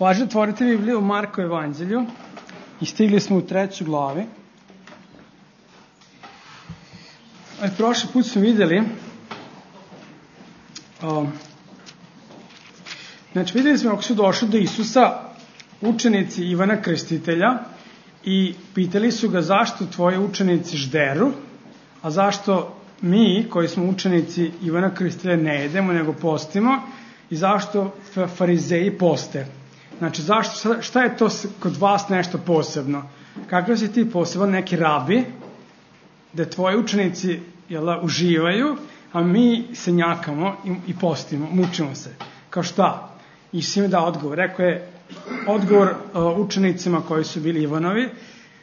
Važno otvorite Bibliju u Marko evanđelju i stigli smo u 3. glavi. Prošli put smo vidjeli vidjeli smo kako su došli do Isusa učenici Ivana Krstitelja i pitali su ga zašto tvoji učenici žderu, a zašto mi koji smo učenici Ivana Krstitelja ne jedemo nego postimo i zašto farizeji poste. Znači, šta je to kod vas nešto posebno? Kakav si ti poseban neki rabi, da tvoji učenici uživaju, a mi se njakamo i postimo, mučimo se. Kao šta? I si mi dao odgovor. Rekao je odgovor učenicima koji su bili Ivanovi,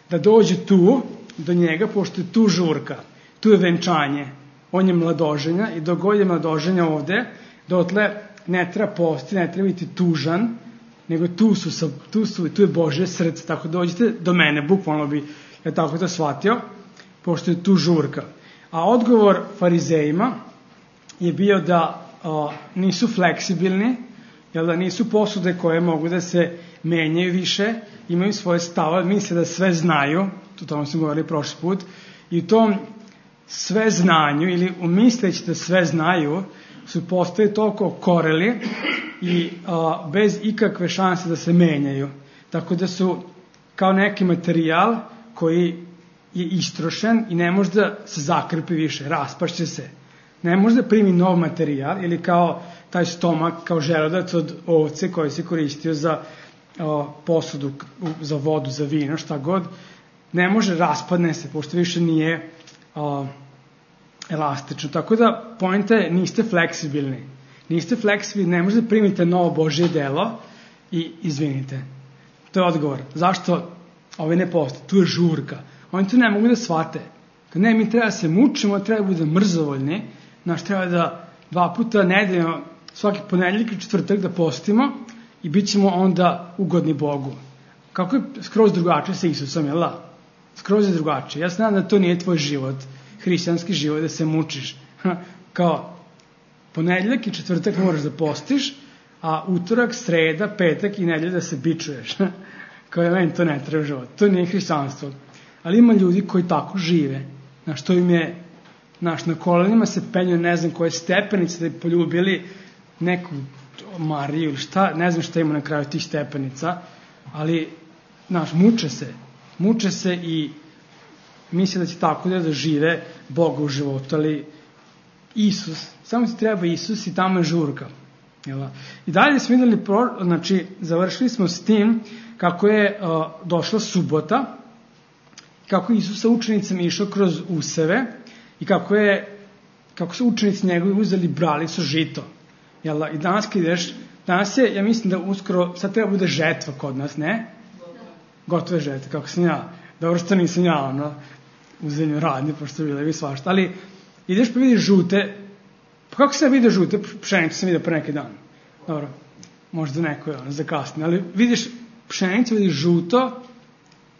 da dođu tu, do njega, pošto je tu žurka, tu je venčanje, on je mladoženja i dok god je mladoženja ovde, dotle ne treba posti, ne treba biti tužan, nego tu je Božje srce, tako dođite do mene, bukvalno bi ja tako to shvatio, pošto je tu žurka. A odgovor farizejima je bio da nisu fleksibilni, da nisu posude koje mogu da se menjaju više, imaju svoje stavove, misle da sve znaju, o tome smo govorili prošli put, i u tom sve znanju, ili umisleći da sve znaju, su postali toliko koreli i bez ikakve šanse da se menjaju. Tako da su kao neki materijal koji je istrošen i ne može da se zakrpi više, raspašće se. Ne može da primi nov materijal ili kao taj stomak, kao želudac od ovce koji se koristio za posudu, za vodu, za vino, šta god. Ne može, raspadne se, pošto više nije elastično. Tako da, poenta je, niste fleksibilni. Niste fleksibilni, ne možete primiti novo Božje delo i izvinite. To je odgovor. Zašto ove ne postoje? Tu je žurka. Oni to ne mogu da shvate. Kad ne, mi treba da se mučimo, treba da bude mrzovoljni, treba da 2 puta nedeljno, svaki ponedeljak i četvrtak da postimo i bit ćemo onda ugodni Bogu. Kako je skroz drugačije sa Isusom, jel da? Skroz je drugačije. Ja znam da to nije tvoj život, hrišćanski život, da se mučiš. Kao ponedeljak i četvrtak moraš da postiš, a utorak, sreda, petak i nedelja da se bičuješ. Kao je meni to ne treba život. To nije hrišćanstvo. Ali ima ljudi koji tako žive. To im je, na kolenima se penju ne znam koje stepenice da bi poljubili neku Mariju ili šta, ne znam šta ima na kraju tih stepenica, ali, muče se i misle da će tako da žive Boga u životu, ali Isus, samo ti treba Isus i tamo je žurka. I dalje smo videli, završili smo s tim kako je došla subota, kako je Isus sa učenicama išao kroz useve i kako su učenici njegovi uzeli bralicu žito. I danas kad ideš, danas je, ja mislim da uskoro, sad treba bude žetva kod nas, ne? Gotove žetve, kako sam ja. Dobro što nisam ja, u zemlju radnje, pošto bilo je svašta. Ali ideš pa vidiš žute, pa kako sam vidio žute, pšenicu sam vidio pre neki dan. Dobro, možda neko je zakasnije, ali vidiš pšenicu, vidiš žuto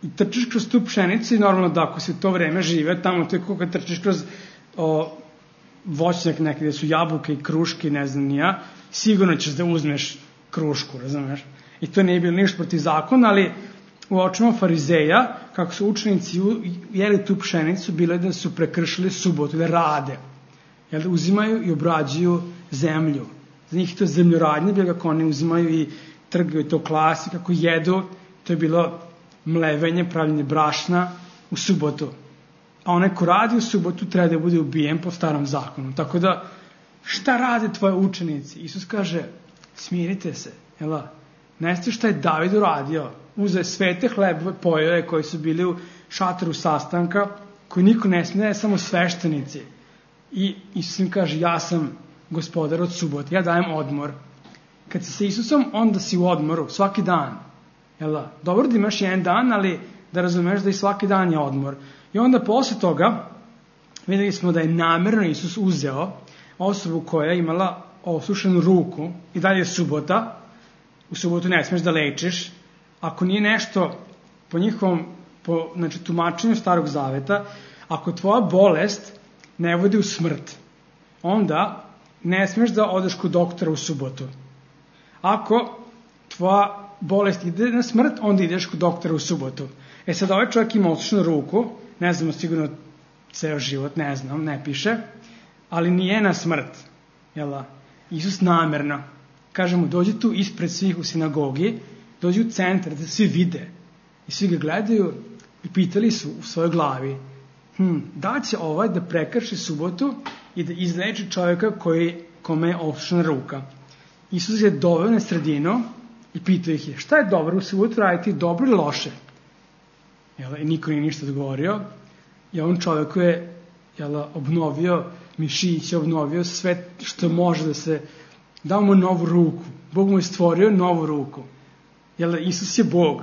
i trčiš kroz tu pšenicu i normalno da ako si u to vreme žive, tamo to je kako kad trčiš kroz voćnjak neki gde su jabuke i kruške, ne znam ni ja, sigurno ćeš da uzmeš krušku, razumeš? I to nije bilo ništa protiv zakona, ali u očima farizeja, kako su učenici jeli tu pšenicu, bilo je da su prekršili subotu, da rade. Da uzimaju i obrađuju zemlju. Za njih je to zemljoradnje, bilo kako oni uzimaju i trgaju to klasi, kako jedu, to je bilo mlevenje, pravljenje brašna u subotu. A onaj ko radi u subotu treba da bude ubijen po starom zakonu. Tako da, šta rade tvoje učenici? Isus kaže, smirite se. Ne znate šta je David uradio? Uzeo je svete hlebove, pojeo je koji su bili u šatoru sastanka, koji niko ne smije, samo sveštenici. I Isus im kaže, ja sam gospodar od subote, ja dajem odmor. Kad si sa Isusom, onda si u odmoru, svaki dan. Dobro da imaš jedan dan, ali da razumeš da i svaki dan je odmor. I onda posle toga videli smo da je namerno Isus uzeo osobu koja je imala osušenu ruku i dalje je subota. U subotu ne smiješ da lečiš. Ako nije nešto po njihovom tumačenju Starog Zaveta, ako tvoja bolest ne vodi u smrt, onda ne smiješ da odeš kod doktora u subotu. Ako tvoja bolest ide na smrt, onda ideš kod doktora u subotu. Sad ovaj čovjek ima otišnu ruku, ne znamo sigurno ceo život, ne znam, ne piše, ali nije na smrt. Isus namerno kaže mu, dođi tu ispred svih u sinagogi, dođi u centar da svi vide. I svi ga gledaju i pitali su u svojoj glavi, da će ovaj da prekrši subotu i da izleči čovjeka kome je otišna ruka. Isus je doveo na sredinu i pitao ih je, šta je dobro u subotu raditi, dobro ili loše? I niko nije ništa odgovorio. I on čovjeku je obnovio mišiće, obnovio sve što može da se, dao mu novu ruku. Bog mu je stvorio novu ruku. Isus je Bog.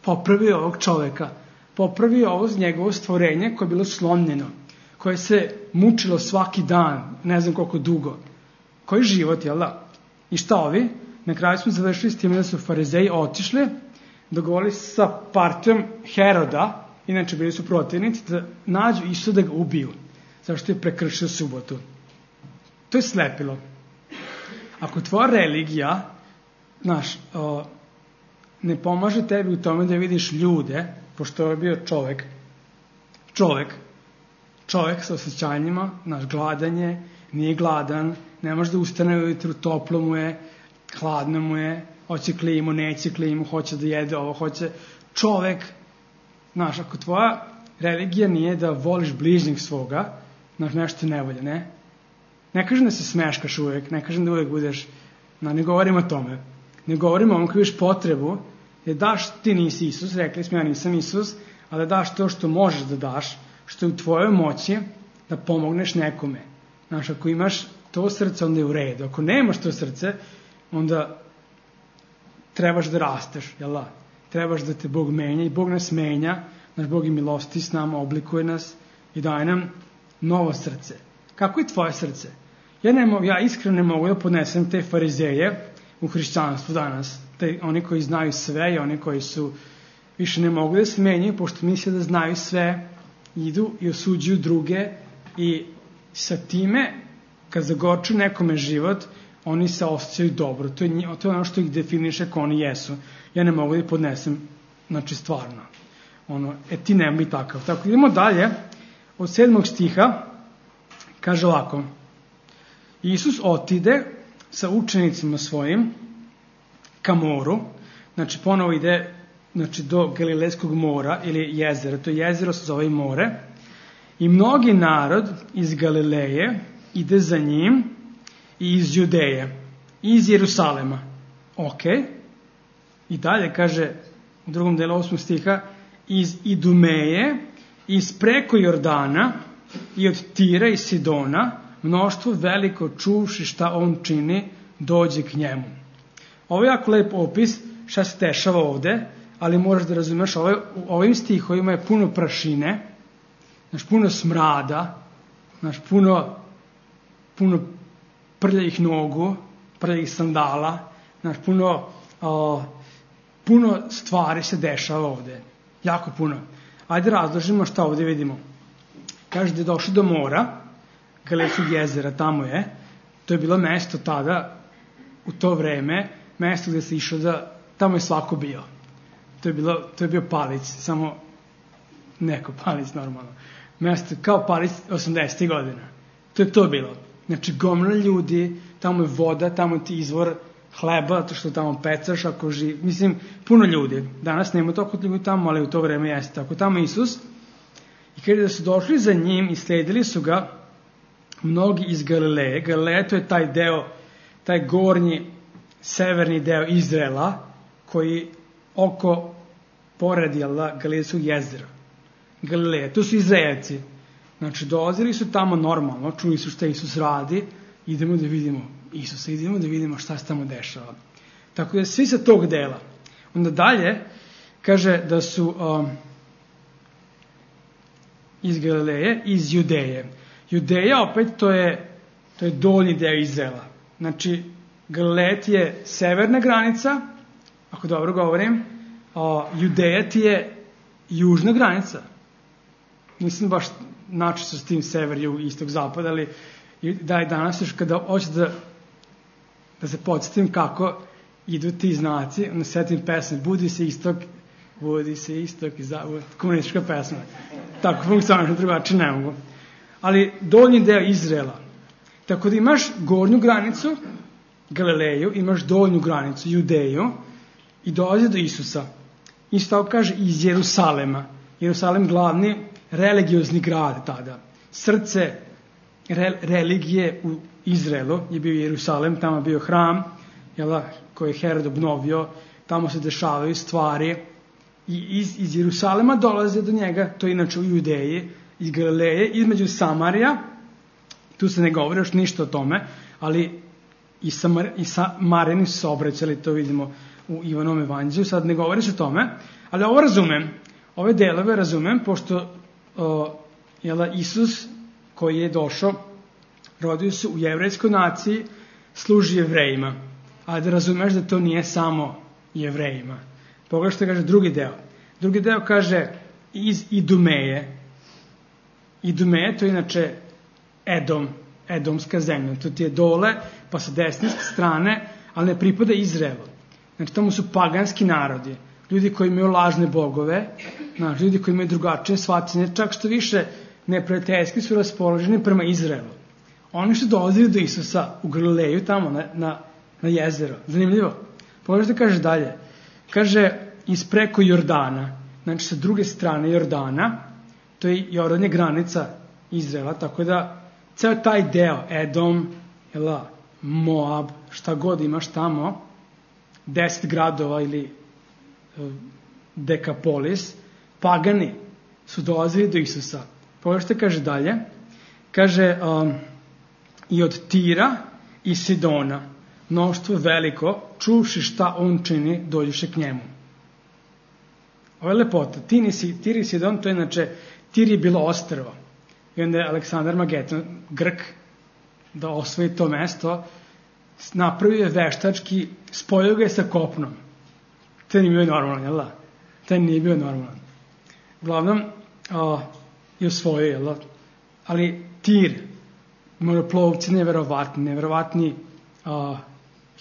Popravio ovog čovjeka. Popravio ovo njegovo stvorenje koje je bilo slomljeno. Koje se mučilo svaki dan, ne znam koliko dugo. Koji život, I šta ovi? Na kraju smo završili s tim da su farizeji otišli, dogovorili sa partijom Heroda, inače bili su protivnici, da nađu Isusa da ga ubiju, zašto je prekršio subotu. To je slepilo. Ako tvoja religija, ne pomaže tebi u tome da vidiš ljude, pošto je bio čovjek sa osjećanjima, gladanje, nije gladan, ne može da ustane ujutru, toplo mu je, hladno mu je, hoće klimu, neće klimu, hoće da jede ovo, hoće čovjek. Ako tvoja religija nije da voliš bližnjeg svoga, nešto ne volje, ne? Ne kažem da se smeškaš uvijek, ne kažem da uvijek budeš, ne govorim o tome. Ne govorim o ovom koji viš potrebu, da daš, ti nisi Isus, rekli smo ja nisam Isus, ali da daš to što možeš da daš, što je u tvojoj moći da pomogneš nekome. Ako imaš to srce, onda je u redu. Ako nemaš to srce, onda trebaš da rasteš, trebaš da te Bog menja i Bog nas menja, naš Bog je milosti s nama, oblikuje nas i daje nam novo srce. Kako je tvoje srce? Ja iskreno ne mogu da podnesem te farizeje u hrišćanstvu danas, oni koji znaju sve i oni koji su više ne mogu da se menjaju, pošto misle da znaju sve, idu i osuđuju druge i sa time, kad zagorču nekome život, oni se osjećaju dobro. To je ono što ih definiše ko oni jesu. Ja ne mogu da podnesem, stvarno. Ti nema i takav. Tako, idemo dalje. Od 7. stiha kaže ovako. Isus otide sa učenicima svojim ka moru. Ponovo ide do Galilejskog mora ili jezera. To jezero se zove more. I mnogi narod iz Galileje ide za njim i iz Judeje, i iz Jerusalema. I dalje kaže u drugom delu 8. stiha, iz Idumeje, iz preko Jordana i od Tira i Sidona, mnoštvo veliko čuvši šta on čini, dođe k njemu. Ovo je jako lep opis šta se dešava ovde, ali moraš da razumeš, u ovim stihovima je puno prašine, puno smrada, puno prljavih nogu, prljavih sandala, puno stvari se dešava ovde. Jako puno. Ajde razložimo šta ovde vidimo. Kaže da je došao do mora, Galilejskog jezera, tamo je. To je bilo mesto tada, u to vreme, mesto gde se išlo tamo je svako bio. To je bio Palić, samo neko Palić normalno. Mesto kao Palić 80. godina. To je to bilo. Gomila ljudi, tamo je voda, tamo ti izvor hleba, to što tamo pecaš, ako živ... puno ljudi. Danas nema toliko ljudi tamo, ali u to vreme jeste tako. Tamo Isus. I kada da su došli za njim i sledili su ga mnogi iz Galileje. Galileja to je taj deo, taj gornji, severni deo Izraela, koji pored Galilejskog jezera. Galileja, to su Izraelci. Dolazili su tamo normalno, čuli su šta Isus radi, idemo da vidimo Isusa, idemo da vidimo šta se tamo dešava. Tako da svi sa tog dela. Onda dalje kaže da su iz Galileje, iz Judeje. Judeja opet to je donji deo Izraela. Galileja ti je severna granica, ako dobro govorim, Judeja ti je južna granica. Nisam baš načisto s tim sever, jug, istok, zapad, ali da je danas još kada hoću da se podsjetim kako idu ti znaci, onda setim pesme, budi se istok i zavod, komunistička pesma. Tako funkcionalno, drugačije ne mogu. Ali donji deo Izraela. Tako da imaš gornju granicu, Galileju, imaš donju granicu, Judeju, i dolazi do Isusa. Isto tako kaže iz Jerusalema. Jerusalem glavni religiozni grad tada. Srce religije u Izraelu je bio Jerusalem, tamo je bio hram, koji je Herod obnovio, tamo se dešavaju stvari i iz Jerusalema dolaze do njega, to je inače u Judeji, iz Galileje, između Samarija, tu se ne govori još ništa o tome, ali i Samarini su se obraćali, to vidimo u Ivanovom evanđelju, sad ne govori se o tome, ali ovo razumem, ove delove razumem, pošto Isus koji je došao, rodio se u jevrejskoj naciji, služi Jevrejima, a da razumeš da to nije samo Jevrejima. Pogledaj što kaže drugi deo. Drugi deo kaže iz Idumeje. Idumeje, to je inače Edomska zemlja. To ti je dole, pa sa desne strane, ali ne pripada Izraelu. Znači, tamo su paganski narodi. Ljudi koji imaju lažne bogove, ljudi koji imaju drugačije shvatanje, čak što više neprijateljski su raspoloženi prema Izraelu. Oni su dolazili do Isusa u Galileju, tamo na jezero. Zanimljivo. Pogledaj što kaže dalje. Kaže, ispreko Jordana, znači sa druge strane Jordana, to je Jordan je granica Izraela, tako da ceo taj deo, Edom, Moab, šta god imaš tamo, 10 gradova ili Dekapolis, pagani su dolazili do Isusa. Pogledaj što kaže dalje. Kaže, i od Tira i Sidona, mnoštvo veliko, čuvši šta on čini, dođuše k njemu. Ovo je lepota. Tir i Sidon, to je inače, Tir je bilo ostrvo. I onda je Aleksandar Magetan, Grk, da osvoji to mesto, napravio je veštački, spojio ga je sa kopnom. To nije bio normalan, jel da? To nije bio normalan. Uglavnom, je osvojio, jel da? Ali Tir, moroplovci neverovatni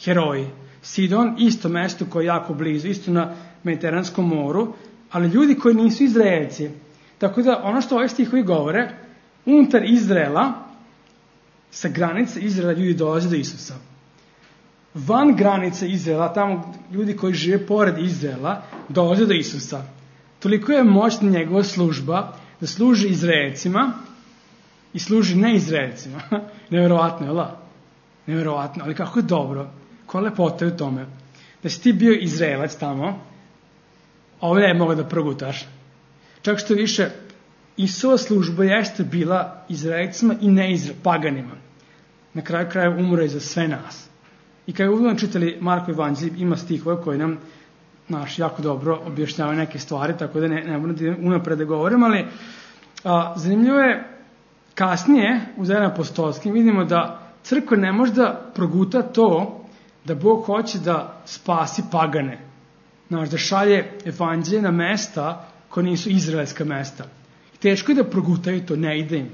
heroji. Sidon, isto mesto koje je jako blizu, isto na Mediteranskom moru, ali ljudi koji nisu Izraelci. Tako da ono što ovaj stihovi govore, unutar Izraela, sa granice Izraela ljudi dolaze do Isusa. Van granice Izraela, tamo ljudi koji žive pored Izraela, dolaze do Isusa. Toliko je moćna njegova služba da služi Izraelcima i služi neizraelcima. Neverovatno, jel da? Neverovatno, ali kako je dobro, koja lepota je u tome. Da si ti bio Izraelac tamo, ovdje je mogao da progutaš. Čak što više, Isova služba jeste bila Izraelcima i paganima. Na kraju kraja umro je za sve nas. I kada uvijek čitali Marko evanđelje, ima stihove koji nam jako dobro objašnjavaju neke stvari, tako da ne moram unapred da govorim, ali zanimljivo je, kasnije u Dejanima apostolskim vidimo da crkva ne može da proguta to da Bog hoće da spasi pagane. Da šalje evanđelje na mesta koje nisu izraelska mesta. Teško je da progutaju to, ne ide im.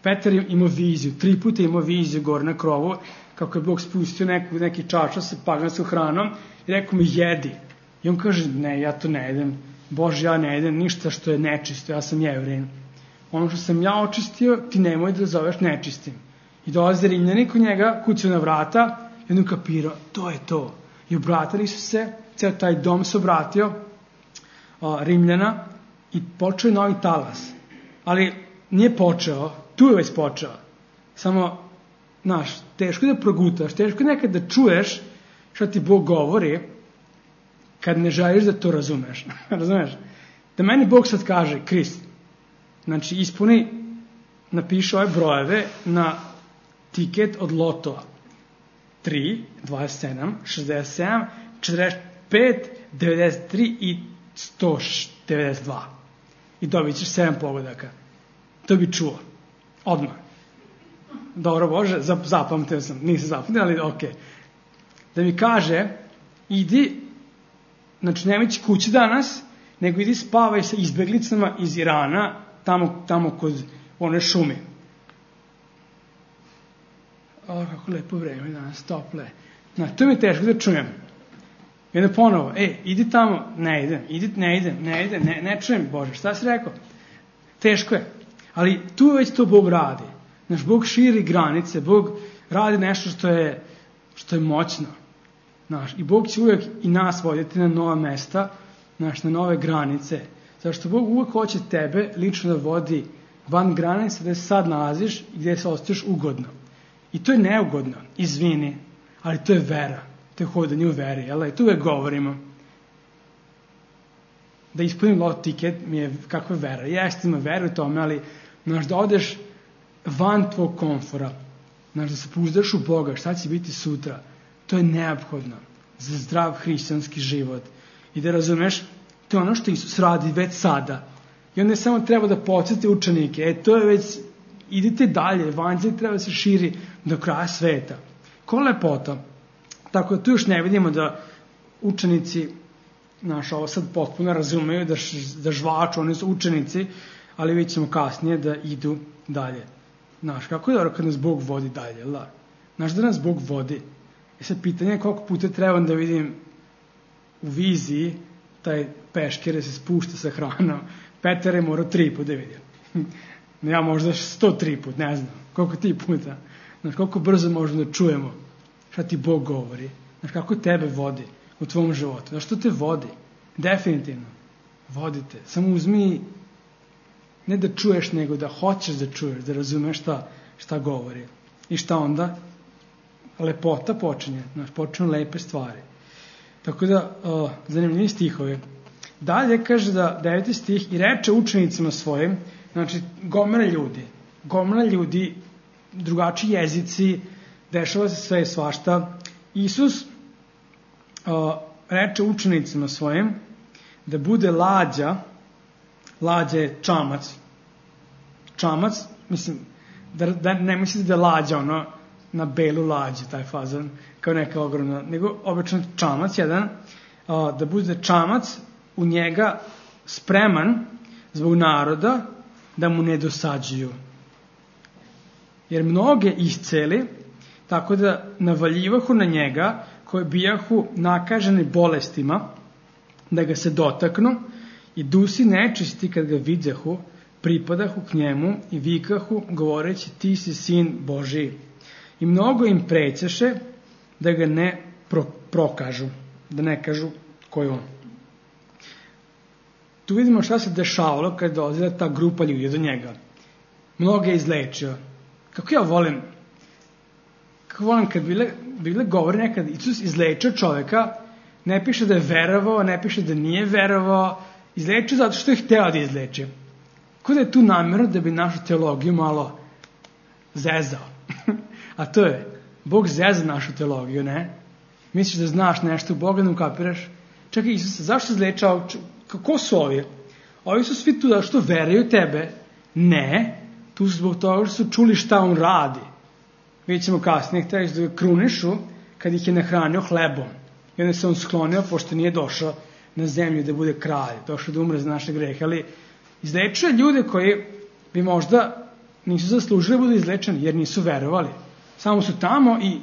Petar imao viziju, 3 puta imao viziju gore na krovu, kako je Bog spustio neki čaša sa paganskom hranom i rekao mi jedi. I on kaže, ne, ja to ne jedem. Bože, ja ne jedem ništa što je nečisto, ja sam Jevrin. Ono što sam ja očistio, ti nemoj da zoveš nečistim. I dolaze Rimljani kod njega, kucaju na vrata i on kapirao, to je to. I obratili su se, ceo taj dom se obratio Rimljana i počeo je novi talas. Ali nije počeo, tu je već počeo. Samo, teško je da progutaš, teško je nekad da čuješ šta ti Bog govori kad ne želiš da to razumeš. Razumeš? Da meni Bog sad kaže, Krist, znači napiši ove brojeve na tiket od lotova. 3, 27, 67, 45, 93 i 192. I dobit ćeš 7 pogodaka. To bi čuo. Odmah. Dobro Bože, zapamtio sam. Nisam zapamtio, ali ok. Da mi kaže, idi, znači nemoj ići kući danas, nego idi spavaj sa izbeglicama iz Irana, tamo kod one šumi. Kako lepo vreme danas, tople. To mi je teško da čujem. I onda ponovo, idi tamo, ne idem, ne čujem, Bože, šta si rekao? Teško je. Ali tu već to Bog radi. Znaš, Bog širi granice, Bog radi nešto što je moćno. Znaš, i Bog će uvijek i nas voditi na nova mesta, znaš, na nove granice. Zašto Bog uvijek hoće tebe lično da vodi van granice gde se sad nalaziš i gde se osjećaš ugodno. I to je neugodno, izvini, ali to je vera. To je hodanje u veri, jel? I tu uvijek govorimo. Da ispunim lot tiket mi je kakva vera. Jeste, ima veru u tome, ali znaš, da odeš van tvog komfora, znaš, da se pouzdaš u Boga, šta će biti sutra, to je neophodno za zdrav hrišćanski život. I da razumeš, to je ono što Isus radi već sada. I onda samo treba da podsjeti učenike, to je već, idite dalje, evanđelje treba da se širi do kraja sveta. Ko lepota. Tako da tu još ne vidimo da učenici, znaš, ovo sad potpuno razumeju, da žvaču, oni su učenici, ali vidjet ćemo kasnije da idu dalje. Znaš, kako je dobro kad nas Bog vodi dalje, la? Znaš da nas Bog vodi. I sad pitanje je koliko puta trebam da vidim u viziji taj peškir se spušta sa hranom. Petar je morao 3 puta da vidim. Ja možda 103 put, ne znam. Koliko ti puta. Znaš, koliko brzo možemo da čujemo šta ti Bog govori. Znaš, kako tebe vodi u tvom životu. Znaš, što te vodi? Definitivno. Vodite. Samo uzmi, ne da čuješ, nego da hoćeš da čuješ, da razumeš šta govori. I šta onda? Lepota počinje. Znaš, počinju lepe stvari. Tako da, zanimljivi stihovi. Dalje kaže da 9. stih, i reče učenicima svojim, znači gomila ljudi, drugačiji jezici, dešava se sve i svašta. Isus reče učenicima svojim da bude lađa je čamac, mislim, da ne mislite da je lađa ono na belu lađu, taj fazan, kao neka ogromna, nego obično čamac jedan, da bude čamac u njega spreman zbog naroda da mu ne dosađuju. Jer mnoge isceli, tako da navaljivahu na njega, koji bijahu nakaženi bolestima, da ga se dotaknu, i dusi nečisti kad ga vidjahu, pripadahu k njemu i vikahu, govoreći, ti si sin Božiji. I mnogo im prećeše da ga ne prokažu, da ne kažu ko je on. Tu vidimo šta se dešavalo kad dolazila ta grupa ljudi do njega. Mnogo je izlečio. Kako ja volim kad bile govori nekad Isus izlečio čoveka, ne piše da je verovao, ne piše da nije verovao, izlečio zato što je hteo da izleči. Kako da je tu namjerno da bi našu teologiju malo zezao. A to je, Bog zeza našu teologiju, ne? Misliš da znaš nešto, Boga ne ukapiraš? Čekaj, Isus, zašto izlečao? Kako su ovi? Ovi su svi tu da što veruju tebe? Ne, tu su zbog toga što su čuli šta on radi. Vidjet ćemo kasnije, htjeli da ga krunišu kad ih je nahranio hlebom. I onda se on sklonio, pošto nije došao na zemlju da bude kralj, došao da umre za naše grehe. Ali izlečuje ljude koji bi možda nisu zaslužili da budu izlečeni, jer nisu verovali. Samo su tamo i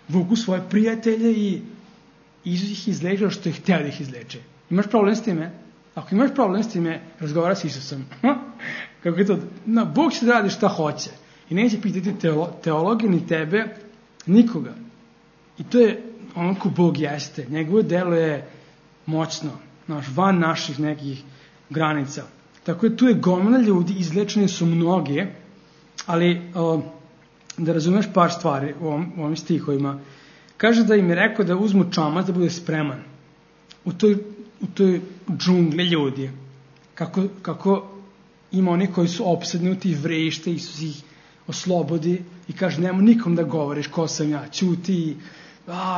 vuku svoje prijatelje i Isus ih izlečio što je htio da ih izleče. Imaš problem s time? Ako imaš problem s time, razgovara s Isusom. Kako je to? No, Bog će da radi šta hoće. I neće pitati teologe, ni tebe, nikoga. I to je ono ko Bog jeste. Njegovo delo je moćno, van naših nekih granica. Tako je tu je gomila ljudi, izlečeni su mnoge, ali da razumeš par stvari u ovim stihovima. Kaže da im je rekao da uzmu čamac da bude spreman. U toj džungli ljudi. Kako ima oni koji su opsednuti, vrešte, Isus ih oslobodi i kaže nemoj nikom da govoriš ko sam ja, ćuti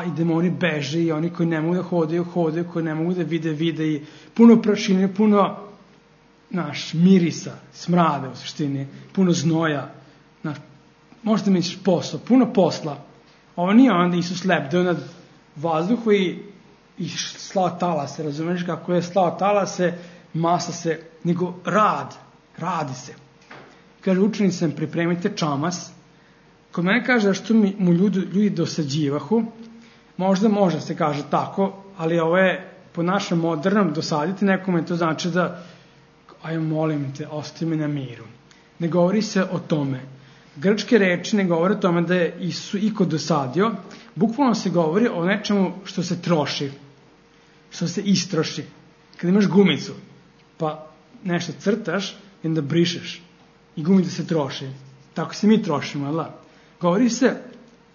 i demoni beže i oni koji ne mogu da hodaju, koji ne mogu da vide i puno prašine, puno mirisa, smrada u suštini, puno znoja, možda misliš posao, puno posla. Ovo nije onda Isus lebdeo nad vazduhu i slao talase, razumiješ kako je slao talase, masa se, nego radi se. Kaže učenicam, pripremite čamas. Kod mene kaže da što mu ljudi dosađivahu, možda može se kaže tako, ali ovo je po našem modernom dosaditi nekome, to znači da aj molim te, ostavi me na miru. Ne govori se o tome. Grčke reči ne govore o tome da je Isus iko dosadio, bukvalno se govori o nečemu što se troši, što se istroši. Kad imaš gumicu, pa nešto crtaš i onda brišeš i gumica se troši. Tako se mi trošimo, ali govori se,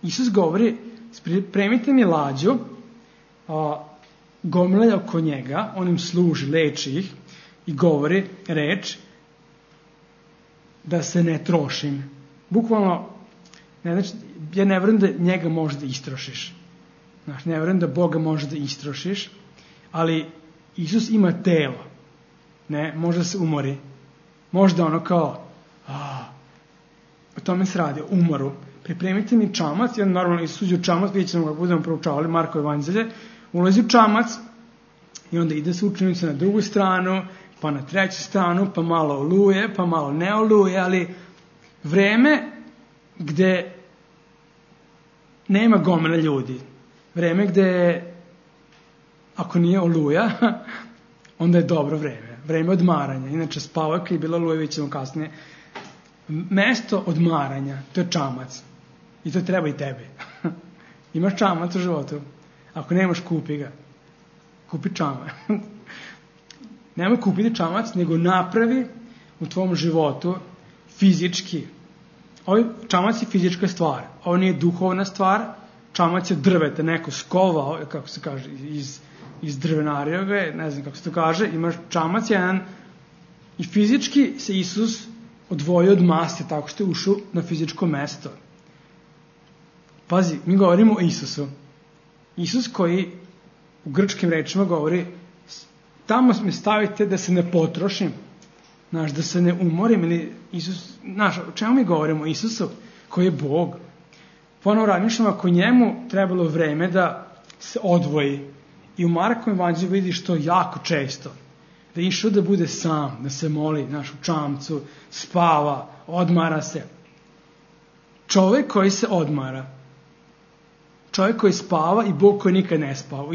Isus govori, spremite mi lađu, gomilja oko njega, on im služi, leči ih i govori reč da se ne trošim. Bukvalno, ja ne vjerujem da njega možeš da istrošiš. Znaš, ne vjerujem da Boga možeš da istrošiš, ali Isus ima telo. Ne, može da se umori. Možda ono kao, o tome se radi, o umoru. Pripremite mi čamac, ja normalno Isus u čamac, vidjet ćemo kako budemo proučavali Marko evanđelje, ulazi u čamac i onda ide sa učenicima na drugu stranu, pa na treću stranu, pa malo oluje, pa malo ne oluje, ali vreme gde nema gomila ljudi, vreme gde ako nije oluja, onda je dobro vreme odmaranja. Inače spavaka je bila oluja, vidjet ćemo kasnije. Mesto odmaranja, to je čamac. I to treba i tebi. Imaš čamac u životu. Ako nemaš, kupi ga. Kupi čamac. Nemoj kupiti čamac, nego napravi u tvom životu fizički. Ovaj čamac je fizička stvar. Ovo nije duhovna stvar. Čamac je drveta, neko skovao, kako se kaže, iz drvenarija, ne znam kako se to kaže. Imaš čamac jedan i fizički se Isus odvojio od mase tako što je ušao na fizičko mesto. Pazi, mi govorimo o Isusu. Isus koji u grčkim rečima govori tamo me stavite da se ne potrošim, znaš, da se ne umorim, ili Isus, znaš, o čemu mi govorimo? O Isusu koji je Bog. Ponovo razmišljamo, ako njemu trebalo vreme da se odvoji. I u Markovom evanđelju vidiš to jako često. Da je išao da bude sam, da se moli, znaš, u čamcu, spava, odmara se. Čovjek koji se odmara, čovjek koji spava i Bog koji nikad ne spava,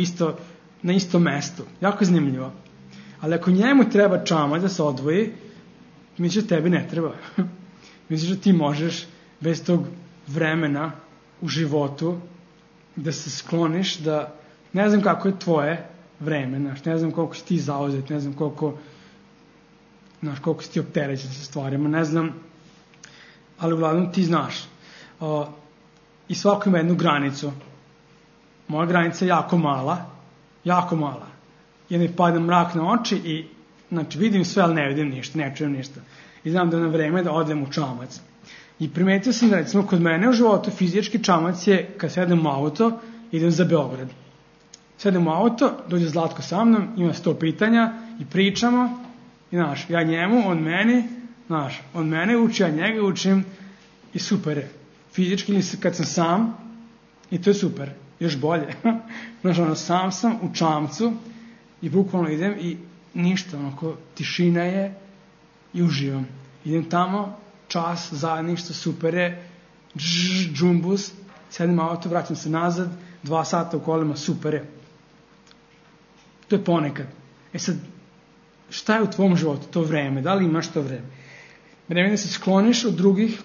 na istom mestu. Jako zanimljivo. Ali ako njemu treba čamac da se odvoji, misliš da tebi ne treba. Misliš da ti možeš bez tog vremena u životu da se skloniš, da ne znam kako je tvoje vreme, znaš, ne znam koliko si ti zauzet, ne znam koliko si ti opterećen sa stvarima, ne znam, ali uglavnom ti znaš. I svako ima jednu granicu. Moja granica je jako mala. I mi pada mrak na oči i, znači, vidim sve, ali ne vidim ništa, ne čujem ništa. I znam da je na vreme da odem u čamac. I primetio sam da, recimo, kod mene u životu fizički čamac je kad sedem u auto, idem za Beograd. Sedem u auto, dođe Zlatko sa mnom, ima 100 pitanja i pričamo. I, znaš, ja njemu, on meni, znaš, on mene uči, ja njega učim i super je. Fizički ili kad sam sam, i to je super, još bolje. Znaš, ono, sam u čamcu i bukvalno idem i ništa, onako, tišina je i uživam. Idem tamo, čas, zajedništvo, super je, džumbus, sedim u auto, vraćam se nazad, 2 sata u kolima, super je. To je ponekad. Sad, šta je u tvom životu to vreme? Da li imaš to vreme? Vreme da se skloniš od drugih,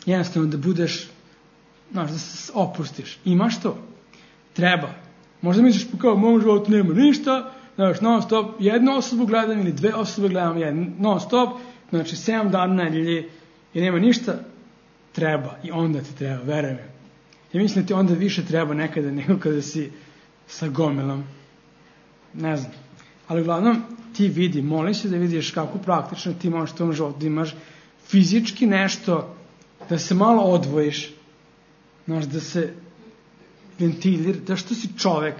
jednostavno da budeš, znaš, da se opustiš. Imaš to? Treba. Možda misliš, kao u mom životu nema ništa, znaš, non stop, jednu osobu gledam ili 2 osobe gledam, non stop, znači 7 dana na nedelji i nema ništa, treba. I onda ti treba, veruj me. Ja mislim da ti onda više treba nekada nego kada si sa gomilom. Ne znam. Ali uglavnom ti vidi, moli se da vidiš kako praktično ti možeš u tom životu, da imaš fizički nešto, da se malo odvojiš, znaš, da se ventilira, da što si čovek,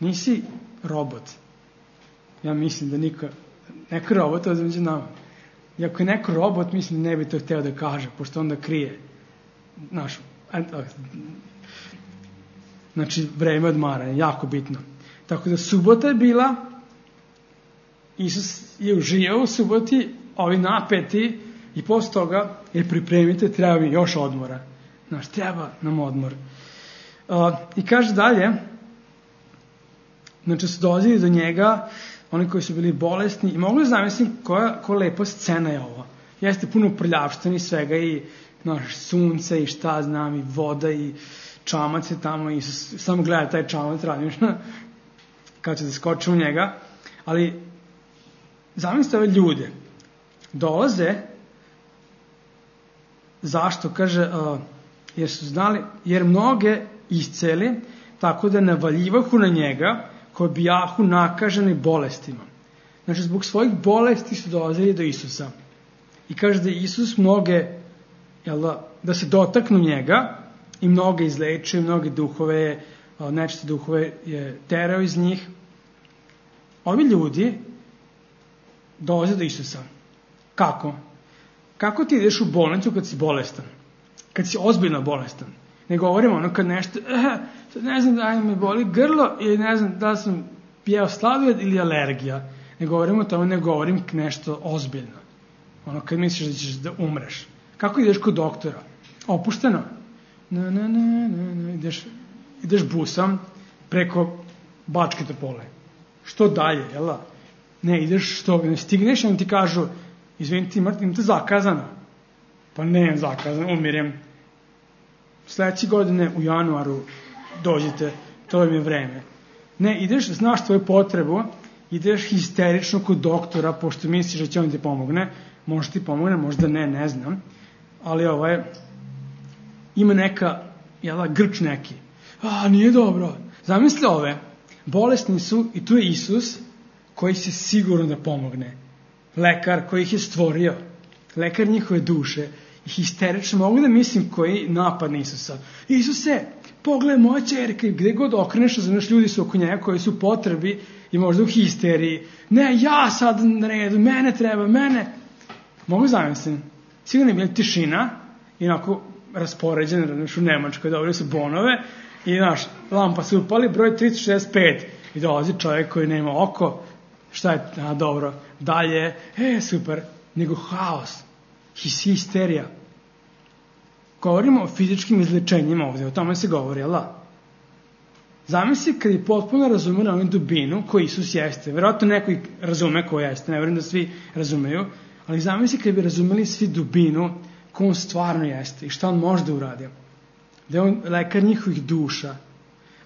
nisi robot. Ja mislim da neko robot ovdje među nama. I ako je neko robot, mislim da ne bi to hteo da kaže, pošto onda krije. Znači, vreme odmaranja, jako bitno. Tako da subota je bila, Isus je uživao u suboti, ovi napeti, i posle toga je pripremite, treba mi još odmora. Znaš, treba nam odmor. I kaže dalje, znači su dolazili do njega, oni koji su bili bolesni, i mogu da zamislim koja lepa scena je ovo. Jeste puno prljavštine i svega, i sunce, i šta znam, i voda, i čamac je tamo, i samo gleda taj čamac, radim kad će da skoče u njega, ali zamislite ove ljude, dolaze, zašto, kaže, jer su znali, jer mnoge isceli, tako da navaljivahu na njega, koji bijahu nakaženi bolestima. Znači, zbog svojih bolesti su dolazili do Isusa. I kaže da Isus mnoge, da se dotaknu njega, i mnoge izlečio, mnoge duhove, nečiste duhove je terao iz njih. Ovi ljudi dolaze do Isusa. Kako? Kako ti ideš u bolnicu kad si bolestan? Kad si ozbiljno bolestan? Ne govorimo kad nešto, ne znam da mi boli grlo, ili ne znam da sam pijao sladoled ili alergija. Ne govorimo o tome, ne govorim nešto ozbiljno. Kad misliš da ćeš da umreš. Kako ideš kod doktora? Opušteno? Ideš busom preko Bačke Topole. Što dalje, jel' Ne, ideš što, ne stigneš i on ti kažu, izvinite, imate zakazano. Pa ne, zakazano, umirem. Sljedeće godine u januaru dođite, to im je vreme. Ne, ideš, znaš tvoju potrebu, ideš histerično kod doktora, pošto misliš da će on ti pomogne, možda ti pomogne, možda ne znam, ali ima neka, grč neki. Nije dobro. Zamisli ove, bolesni su i tu je Isus, koji će sigurno da pomogne. Lekar koji ih je stvorio, lekar njihove duše, i histerično, mogu da mislim koji napad na Isusa. Isuse, pogledaj moja ćerka, i gde god okreneš, znaš, ljudi su oko njega koji su potrebi i možda u histeriji. Ne, ja sad na redu, mene treba, mene. Mogu zamislim. Sigurno je bila tišina, i onako raspoređen, u Nemačkoj, dobili su bonove, i lampa se upali, broj 365, i dolazi čovjek koji nema oko, šta je, dobro, dalje, super, nego haos, histerija. Govorimo o fizičkim izlečenjima ovdje, o tome se govori, jel' Zamisli kad je potpuno razumeli onu dubinu koju Isus jeste. Vjerojatno neko razume ko jeste, ne vjerujem da svi razumeju, ali zamisli kad bi razumeli svi dubinu ko on stvarno jeste i šta on može da uradi. Da je on lekar njihovih duša.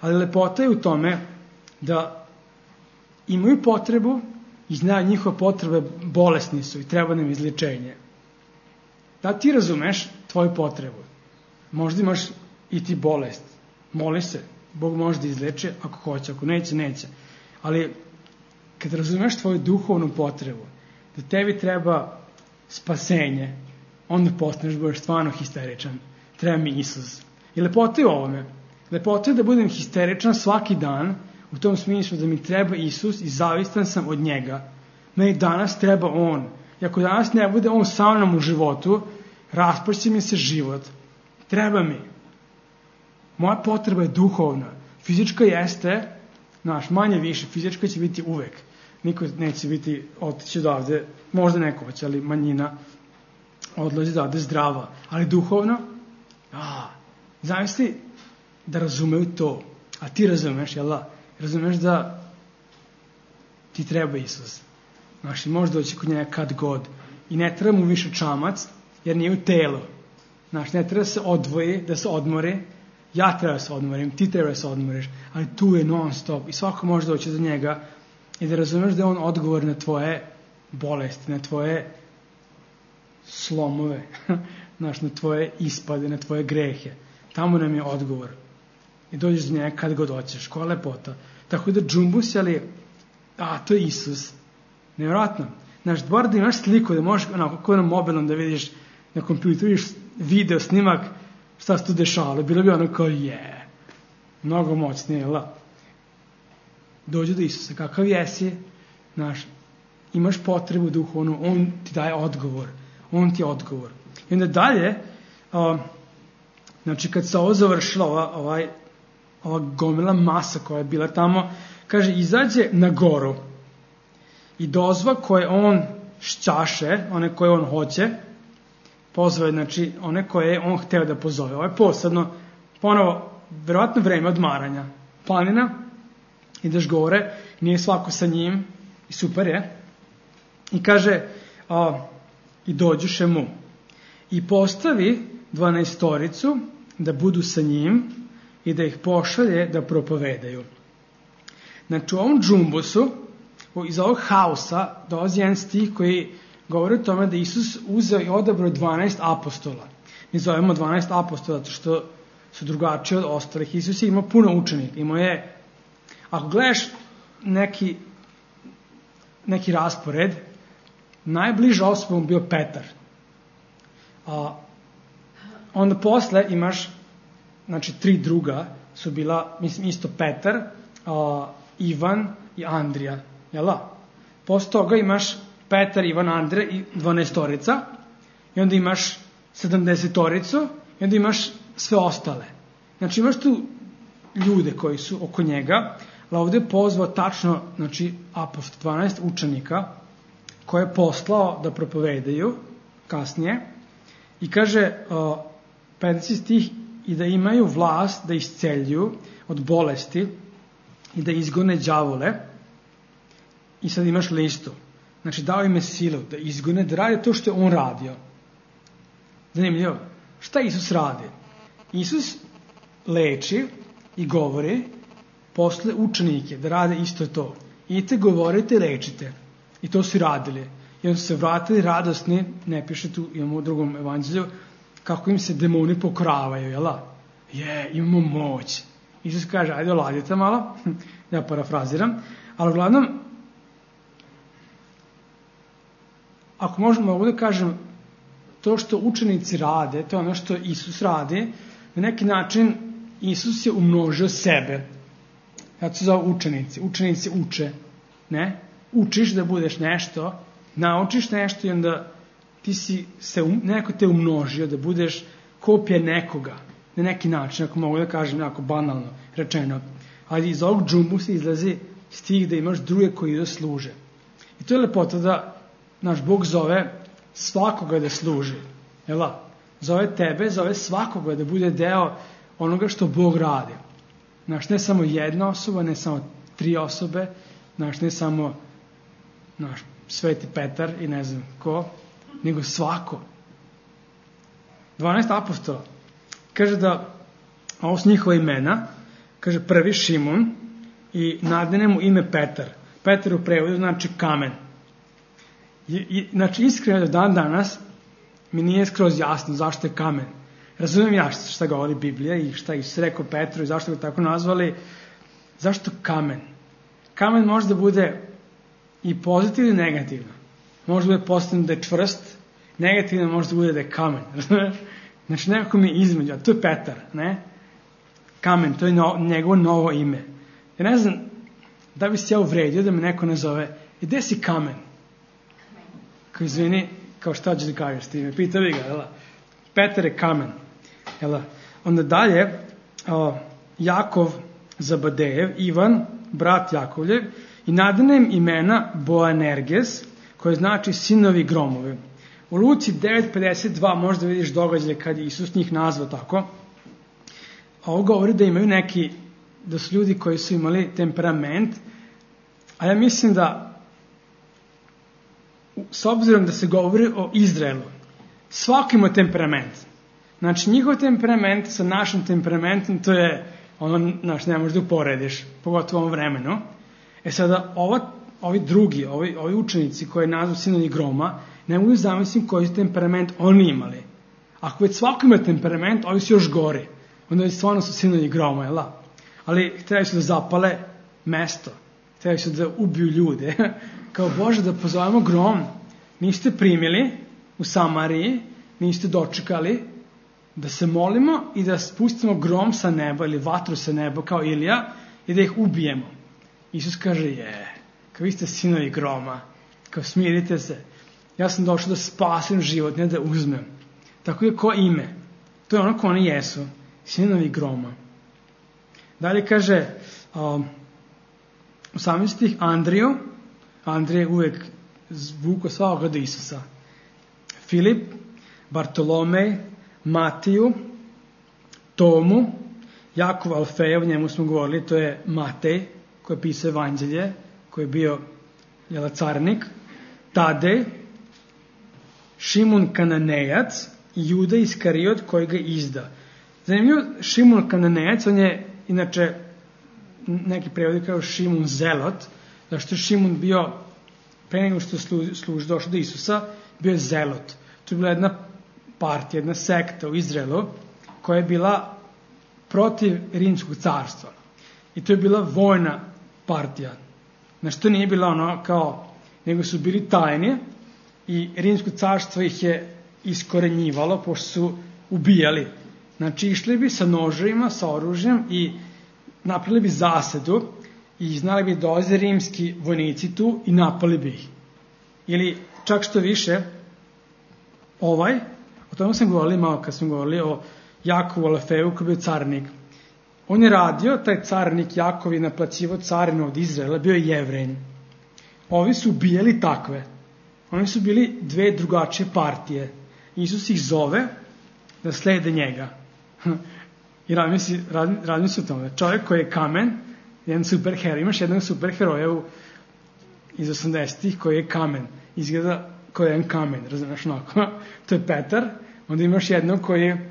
Ali lepota je u tome da imaju potrebu i znaju njihove potrebe, bolesni su i treba nam izlječenje. Da ti razumeš tvoju potrebu. Možda imaš i ti bolest. Moli se. Bog može da izleče ako hoće, ako neće. Ali kad razumeš tvoju duhovnu potrebu, da tebi treba spasenje, onda postaneš budeš stvarno histeričan. Treba mi Isus. I lepota je u ovome. Lepota je da budem histeričan svaki dan, u tom smislu da mi treba Isus i zavistan sam od njega. Meni danas treba On. I ako danas ne bude On sa mnom u životu, raspašće mi se život. Treba mi. Moja potreba je duhovna. Fizička jeste, manje više, fizička će biti uvek. Niko neće biti otići odavde, možda neko hoće, ali manjina odlazi odavde zdrava. Ali duhovno, zamisli da razumeju to. A ti razumeš, jel' Razumeš da ti treba Isus. I može doći kod njega kad god. I ne treba mu više čamac, jer nije u telu. Ne treba da se odvoji, da se odmori. Ja treba da se odmorim, ti treba da se odmoriš, ali tu je non stop i svako može doći do njega i da razumeš da je on odgovor na tvoje bolesti, na tvoje slomove, na tvoje ispade, na tvoje grehe. Tamo nam je odgovor. I dođeš do njega kad god hoćeš, koja lepota. Tako da džumbus, ali, to je Isus. Nevjerojatno. Bar da imaš sliku, da možeš kako na mobilnom da vidiš, na kompjuteru vidiš video snimak, šta se tu dešavalo, bilo bi ono kao mnogo moćnije, Dođu do Isusa, kakav jesi, imaš potrebu duhovnu, On ti daje odgovor, On ti je odgovor. I onda dalje, kad se ovo završila, ova gomila masa koja je bila tamo, kaže, izađe na goru i dozva koje on šćaše, one koje on hoće, pozove, one koje je on hteo da pozove. Ovo je posebno, ponovo, verovatno vreme odmaranja. Planina, ideš gore, nije svako sa njim i super je. I kaže, i dođuše mu i postavi 12 da budu sa njim i da ih pošalje da propovedaju. Znači u ovom džumbusu, iz ovog haosa dolazi jedan stih koji govori o tome da Isus uzeo i odabrao 12 apostola. Mi zovemo 12 apostola zato što su drugačiji od ostalih. Isus je imao puno učenika. Imao je, ako gledaš neki raspored, najbliža osoba mu bio Petar. Onda posle imaš, znači 3 druga su bila, mislim isto Petar, Ivan i Andrija. Jela? Posle toga imaš Petar, Ivan, Andrija i 12 i onda imaš 70 i onda imaš sve ostale. Znači imaš tu ljude koji su oko njega, ali ovdje je pozvao tačno, znači apostol 12 učenika koje je poslao da propovedaju kasnije i kaže 50 stih i da imaju vlast da isceljuju od bolesti i da izgone đavole. I sad imaš listu. Znači dao im je silu da izgone, da radi to što je on radio. Zanimljivo. Šta Isus radi? Isus leči i govori posle učenike da rade isto to. Idite, govorite, lečite. I to su radili. I onda su se vratili radosni, ne piše tu, imamo u drugom evanđelju, kako im se demoni pokoravaju, jela? Imamo moć. Isus kaže, ajde oladite malo, ja parafraziram, ali uglavnom, ako mogu da kažem, to što učenici rade, to je ono što Isus radi, na neki način Isus je umnožio sebe. Ja se zove učenici. Učenici uče. Ne? Učiš da budeš nešto, naučiš nešto i onda ti si neko te umnožio da budeš kopija nekoga. Na neki način, ako mogu da kažem, jako banalno rečeno. Ali iz ovog džumbusa izlazi stih da imaš druge koji da služe. I to je lepota da naš Bog zove svakoga da služi. Jela? Zove tebe, zove svakoga da bude deo onoga što Bog radi. Znaš, ne samo jedna osoba, ne samo 3 osobe, znaš, ne samo Sveti Petar i ne znam ko, nego svako. 12 apostola. Kaže da, ovo su njihova imena, kaže prvi Šimun i nadene mu ime Petar. Petar u prevodu znači kamen. Znači, iskreno do dan danas mi nije skroz jasno zašto je kamen. Razumijem ja šta govori Biblija i šta je rekao Petru i zašto ga tako nazvali. Zašto kamen? Kamen može da bude i pozitivno i negativno. Može da bude pozitivno da je čvrst, negativno može da bude da je kamen. Znači, nekako mi je između, a to je Petar, ne? Kamen, to je njegovo novo ime. Ja ne znam da bi se ja uvredio da me neko nazove, gde si kamen? Kao izvini, kao šta ćeš da kažeš ti me? Pita vi ga, jela? Petar je kamen. Jela? Onda dalje, Jakov Zabadejev, Ivan, brat Jakovljev, i nadane im imena Boanerges, koje znači sinovi gromove. U Luci 9.52 možda vidiš događaje kad je Isus njih nazvao tako. A ovo govori da imaju da su ljudi koji su imali temperament, a ja mislim da s obzirom da se govori o Izraelu, svako ima temperament. Znači, njihov temperament sa našim temperamentom, to je ono, ne možeš da uporediš, pogotovo u ovom vremenu. Sada, ovi drugi, ovi učenici koji nazvu sinovi groma, ne mogu zamisliti koji temperament oni imali. Ako već svako ima temperament, ovi su još gori. Onda stvarno su sinovi groma, jel? Ali htjeli su da zapale mesto. Htjeli su da ubiju ljude. Kao Bože, da pozovemo grom. Niste primili u Samariji, niste dočekali da se molimo i da spustimo grom sa neba ili vatru sa neba kao Ilija i da ih ubijemo. Isus kaže, kao vi ste sinovi groma, kao smirite se. Ja sam došao da spasim život, ne da uzmem. Tako je ko ime. To je ono ko oni jesu. Sinovi groma. Dalje kaže 18. Andriju. Andrija je uvek zvuko svakoga do Isusa. Filip, Bartolomej, Matiju, Tomu, Jakov Alfejev, njemu smo govorili, to je Matej, koji je pisao evanđelje, koji je bio carnik, Tadej, Šimun Kananejac i Juda Iskariot koji ga izda. Zanimljivo, Šimun Kananejac, on je inače neki prevodi kao Šimun Zelot, zašto je Šimun bio, pre nego što je došao do Isusa, bio je Zelot. To je bila jedna partija, jedna sekta u Izraelu koja je bila protiv Rimskog carstva. I to je bila vojna partija. Znači, to nije bila ono kao, nego su bili tajni i Rimsko carstvo ih je iskorenjivalo, pošto su ubijali. Znači, išli bi sa noževima, sa oružjem i napravili bi zasedu i znali bi dolaze rimski vojnici tu i napali bi ih. Ili čak što više, o tome sam govorili malo kad smo govorili o Jakovu Alefeju koji je bio carnik. On je radio, taj carnik Jakov je naplaćivao carinu od Izraela, bio je Jevrein. Ovi su ubijali takve. Oni su bili dve drugačije partije. Isus ih zove da slede njega. I radim se o tome. Čovjek koji je kamen, jedan superheroj. Imaš jednog superheroja iz 80-ih koji je kamen. Izgleda koji je jedan kamen, razumiješ onako. To je Petar. Onda imaš jednog koji je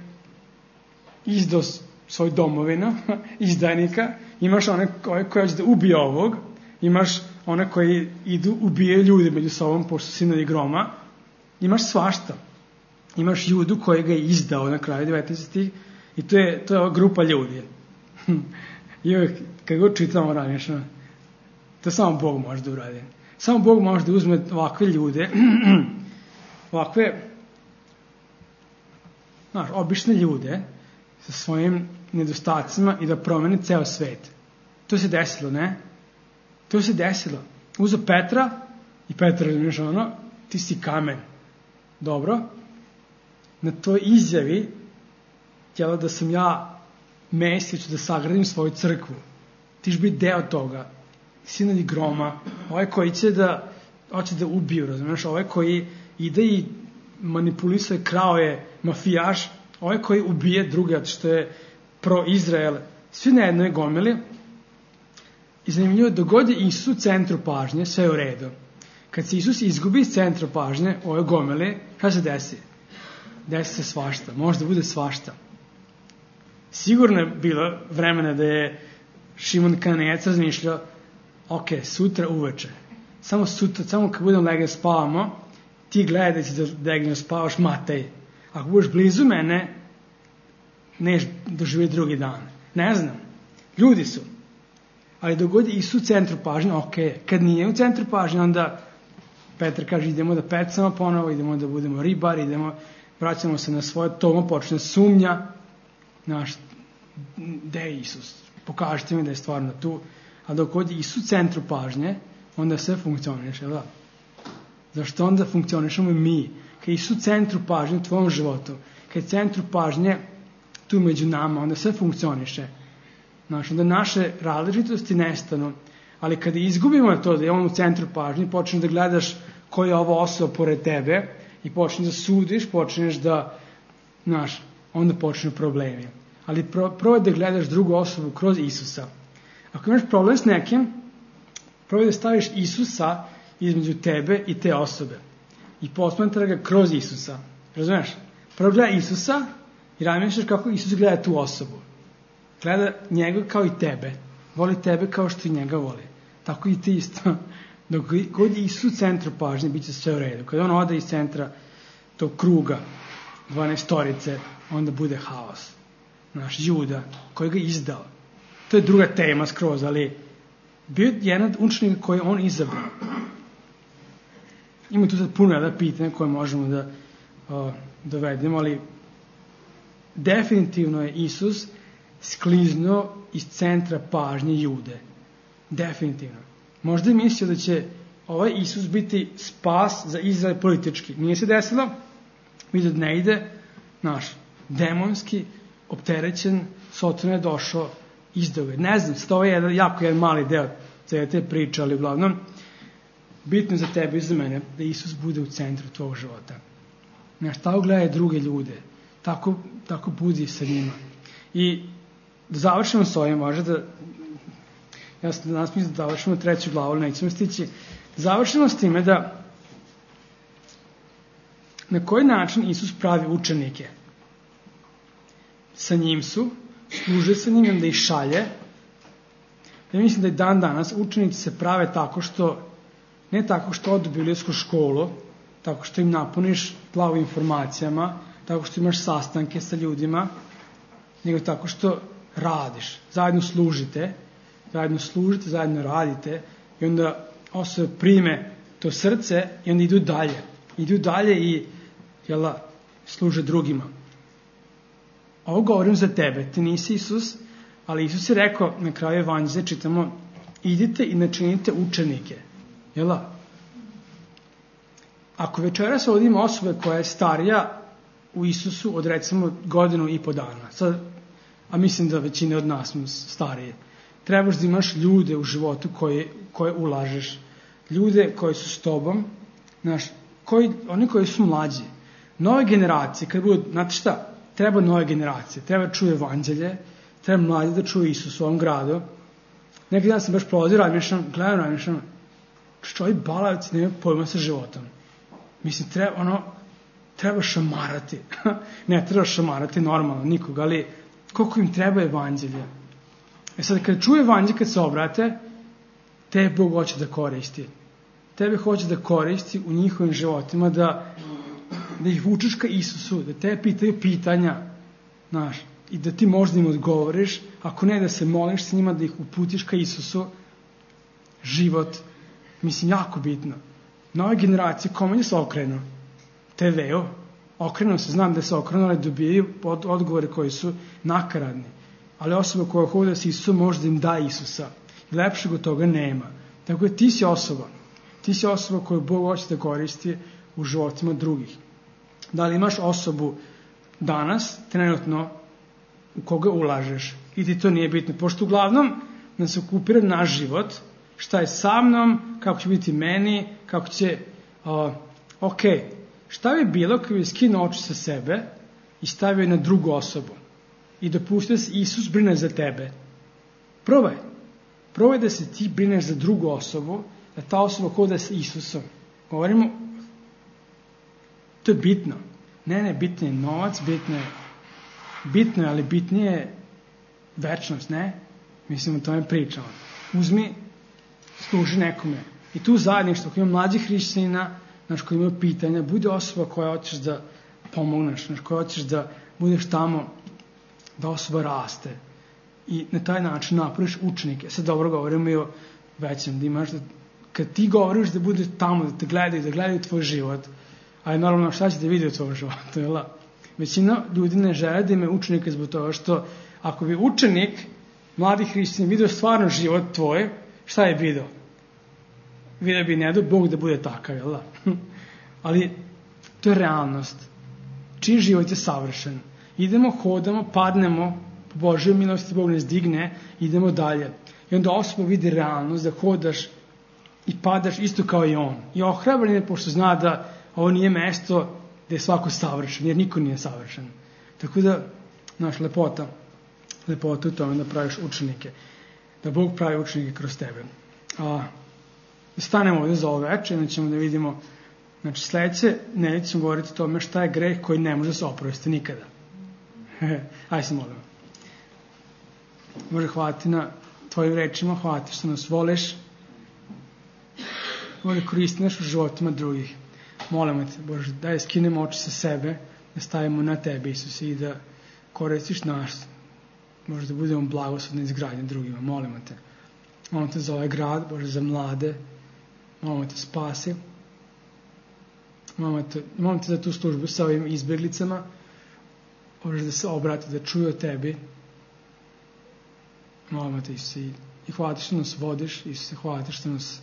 izdao svoj domovinu, izdajnika. Imaš one koji hoće da ubije ovog. Imaš one koji idu, ubijaju ljude među sobom, pošto su sinovi groma. Imaš svašta. Imaš Judu koji ga je izdao na kraju 19. I to je ova grupa ljudi. I uvijek, kad god čitamo ranješno, to samo Bog može da uradi. Samo Bog može da uzme ovakve ljude, ovakve, obične ljude, sa svojim nedostacima i da promeni ceo svet. To se desilo, ne? To se desilo. Uzo Petra i Petra razumiješ ti si kamen. Dobro? Na toj izjavi htjela da sam ja Mesić da sagradim svoju crkvu. Ti ćeš biti deo toga. Sinovi groma, ovaj koji hoće da ubiju, razumiješ? Ovaj koji ide i manipulisuje, krao je mafijaš, ovaj koji ubije druge, što je pro-Izrael. Svi na jednoj gomili. I zanimljivo, dogod je Isus u centru pažnje, sve je u redu. Kad se Isus izgubi iz centra pažnje, ove gomile, kada se desi? Desi se svašta, možda bude svašta. Sigurno je bilo vremena da je Šimun Kananejac razmišljao, ok, sutra uveče, samo sutra, samo kad budem legao spavamo, ti gledaj da si legao spavaš, Matej. Ako budeš blizu mene, neš doživjeti drugi dan. Ne znam, ljudi su. Ali dogod je Isus u centru pažnje, ok, kad nije u centru pažnje, onda Petar kaže idemo da pecamo ponovo, idemo da budemo ribari, vraćamo se na svoje, tomo počne sumnja, gde je Isus? Pokažite mi da je stvarno tu. A dok je Isus u centru pažnje, onda sve funkcioniše, da? Zašto onda funkcionišemo i mi? Kad je Isus u centru pažnje u tvojom životu, kad je centru pažnje tu među nama, onda sve funkcioniše. Onda naše različitosti nestanu. Ali kada izgubimo to da je on u centru pažnje, počneš da gledaš koja je ova osoba pored tebe i počneš da sudiš, počneš da, onda počnu problemi. Ali probaj da gledaš drugu osobu kroz Isusa. Ako imaš problem s nekim, probaj da staviš Isusa između tebe i te osobe. I posmatra ga kroz Isusa. Razumeš? Prvo gleda Isusa i razmišljaš kako Isus gleda tu osobu. Gleda njega kao i tebe. Voli tebe kao što i njega voli. Tako i ti isto. Dok god je Isus u centru pažnje, bit će sve u redu. Kada on ode iz centra tog kruga 12-torice, onda bude haos. Juda, koji ga izdao. To je druga tema skroz, ali bio je jedan od učenika koji on izabrao. Ima tu sad puno pitanja koje možemo da dovedemo, ali definitivno je Isus skliznuo iz centra pažnje Jude. Definitivno. Možda je mislio da će ovaj Isus biti spas za Izrael politički. Nije se desilo. Vidio da ne ide. Demonski, opterećen, Soton je došao, izdao ga. Ne znam, to je jedan mali deo te priče, ali uglavnom bitno za tebe i za mene da Isus bude u centru tvojeg života. Tako gledaj druge ljude. Tako budi sa njima. I da završimo s ovim, možda da ja sam danas mislim da završimo 3. glavu, ali nećemo stići. Završimo s time da na koji način Isus pravi učenike. Sa njim su, služe sa njim, da ih šalje. Ja mislim da i dan danas učenici se prave tako što, ne tako što odu u biblijsku školu, tako što im napuniš glavu informacijama, tako što imaš sastanke sa ljudima, nego tako što radiš. Zajedno služite, zajedno radite i onda osobe prime to srce i onda idu dalje. Idu dalje i služe drugima. Ovo govorim za tebe, ti nisi Isus, ali Isus je rekao na kraju evanđelja, čitamo, idite i načinite učenike. Ako večeras ovdje ima osobe koja je starija u Isusu od recimo 1.5 godina, sad, a mislim da većina od nas smo starije, trebaš da imaš ljude u životu koje ulažeš, ljude koji su s tobom, oni koji su mlađi, nove generacije, kad budu, znate šta, treba nove generacije, treba čuje evanđelje, treba mlađi da čuje Isus u ovom gradu. Neki dan sam baš prolazio, razmišljam, što ovi balavci nemaju pojma sa životom. Mislim, treba šamarati. Ne treba šamarati normalno nikoga, ali koliko im treba evanđelja. Sad, kad čuje evanđelje, kad se obrate, tebe Bog hoće da koristi. Tebe hoće da koristi u njihovim životima, da ih vučeš ka Isusu, da te pitaju pitanja, i da ti možda im odgovoriš, ako ne da se moliš s njima, da ih uputiš ka Isusu. Život, mislim, jako bitno. Nove generacije, kome se okrenu? TV-u. Okrenu se, znam da se okrenu, ali dobijaju odgovore koji su nakaradni. Ali osoba koja hoda s Isusom može da im da Isusa. Lepšeg od toga nema. Tako da ti si osoba. Ti si osoba koju Bog hoće da koristi u životima drugih. Da li imaš osobu danas, trenutno, u koga ulažeš? I ti to nije bitno. Pošto uglavnom nas se okupira naš život, šta je sa mnom, kako će biti meni, kako će... Šta bi bilo kada bi skinuo oči sa sebe i stavio na drugu osobu i dopustio da se Isus brine za tebe? Probaj da se ti brineš za drugu osobu, da ta osoba hoda sa Isusom. Govorimo, to je bitno. Ne, bitno je novac, bitno je, ali bitnije je večnost, ne? Mislim, o tome pričamo. Uzmi, služi nekome. I tu zajedništvo, koji ima mlađih hrišćanina, koji imaju pitanja, bude osoba koja hoćeš da pomogneš, koja hoćeš da budeš tamo, da osoba raste. I na taj način napraviš učenike. Sad dobro govorimo i o većem, da imaš, kad ti govoriš da budeš tamo, da te gledaju tvoj život, ali normalno šta će da vidi u tvojom životu, Većina ljudi ne žele da imaju učenike zbog toga što ako bi učenik, mladi hrišćanin, vidio stvarno život tvoj, šta je vidio? Vidio bi ne do Bog da bude takav, Ali to je realnost. Čiji život je savršen. Idemo, hodamo, padnemo, po Božjoj milosti Bog nas digne, idemo dalje. I onda osoba vidi realnost, da hodaš i padaš isto kao i on. I ohrabren je, pošto zna da ovo nije mesto gde je svako savršen, jer niko nije savršen. Tako da, lepota u tome da praviš učenike. Da Bog pravi učenike kroz tebe. Stanemo ovdje za ovo večer, onda ćemo da vidimo, sledeće nedelje ćemo govoriti o tome šta je greh koji ne može da se oprosti nikada. Ajde se molimo. Bože, hvala ti na tvojim rečima, hvala ti što nas voliš. Bože, koristi nas u životima drugih. Molimo te, Bože, daj skinemo oči sa sebe, da stavimo na tebe, Isuse, i da koristiš nas. Bože, da budemo blagoslovni izgradnje drugima. Molimo te za ovaj grad, Bože, za mlade. Molimo te, spasi. Molimo te za tu službu sa ovim izbjeglicama. Bože, da se obrati, da čuju o tebi. Molimo te, Isuse, i hvala ti što nas vodiš, Isuse, hvala ti što nas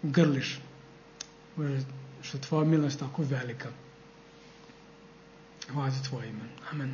grliš. Bože, što je tvoja milost tako velika. Hvala ti tvoje ime. Amen.